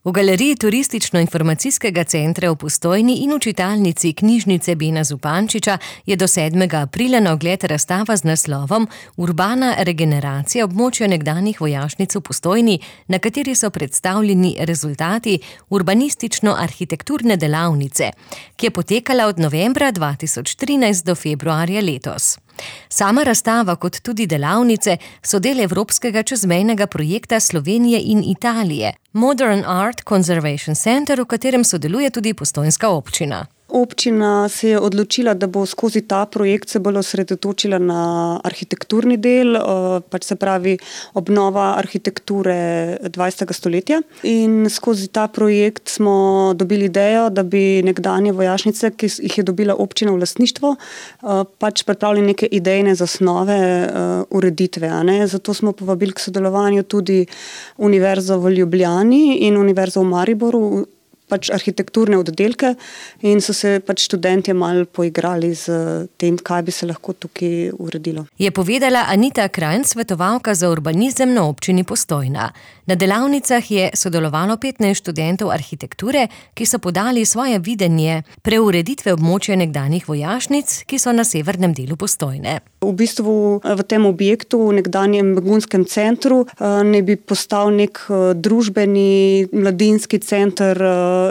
V galeriji Turistično-informacijskega centra v Postojni in v čitalnici knjižnice Bena Zupančiča je do 7. aprila na ogled razstava z naslovom Urbana regeneracija območja nekdanjih vojašnic v Postojni, na kateri so predstavljeni rezultati urbanistično-arhitekturne delavnice, ki je potekala od novembra 2013 do februarja letos. Sama razstava kot tudi delavnice so del evropskega čezmejnega projekta Slovenije in Italije, Modern Art Conservation Center, v katerem sodeluje tudi postojnska občina. Občina se je odločila, da bo skozi ta projekt se bolj osredotočila na arhitekturni del, se pravi obnova arhitekture 20. stoletja. In skozi ta projekt smo dobili idejo, da bi nekdanje vojašnice, ki jih je dobila občina v lastništvo, pripravili neke idejne zasnove ureditve. Zato smo povabili k sodelovanju tudi Univerzo v Ljubljani in Univerzo v Mariboru, arhitekturne oddelke, in so se študentje malo poigrali z tem, kaj bi se lahko tukaj uredilo. Je povedala Anita Krajn, svetovalka za urbanizem na občini Postojna. Na delavnicah je sodelovalo 15 študentov arhitekture, ki so podali svoje videnje preureditve območja nekdanjih vojašnic, ki so na severnem delu Postojne. V bistvu v tem objektu, v nekdanjem begunskem centru, ne bi postal nek družbeni mladinski center,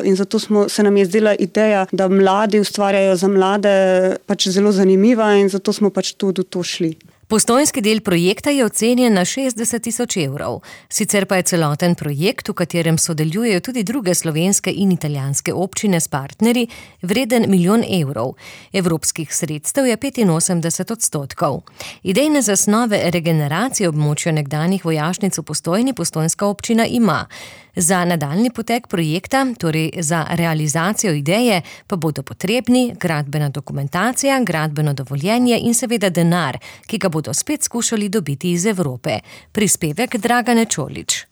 in zato se nam je zdela ideja, da mladi ustvarjajo za mlade zelo zanimiva, in zato smo tudi v to šli. Postojnski del projekta je ocenjen na 60.000 evrov. Sicer pa je celoten projekt, v katerem sodelujejo tudi druge slovenske in italijanske občine s partnerji, vreden 1 milijon evrov. Evropskih sredstev je 85%. Idejne zasnove regeneracije območja nekdanjih vojašnic v Postojni postojnska občina ima. Za nadaljnji potek projekta, torej za realizacijo ideje, pa bodo potrebni gradbena dokumentacija, gradbeno dovoljenje in seveda denar, ki ga bodo spet skušali dobiti iz Evrope. Prispevek Dragane Čolič.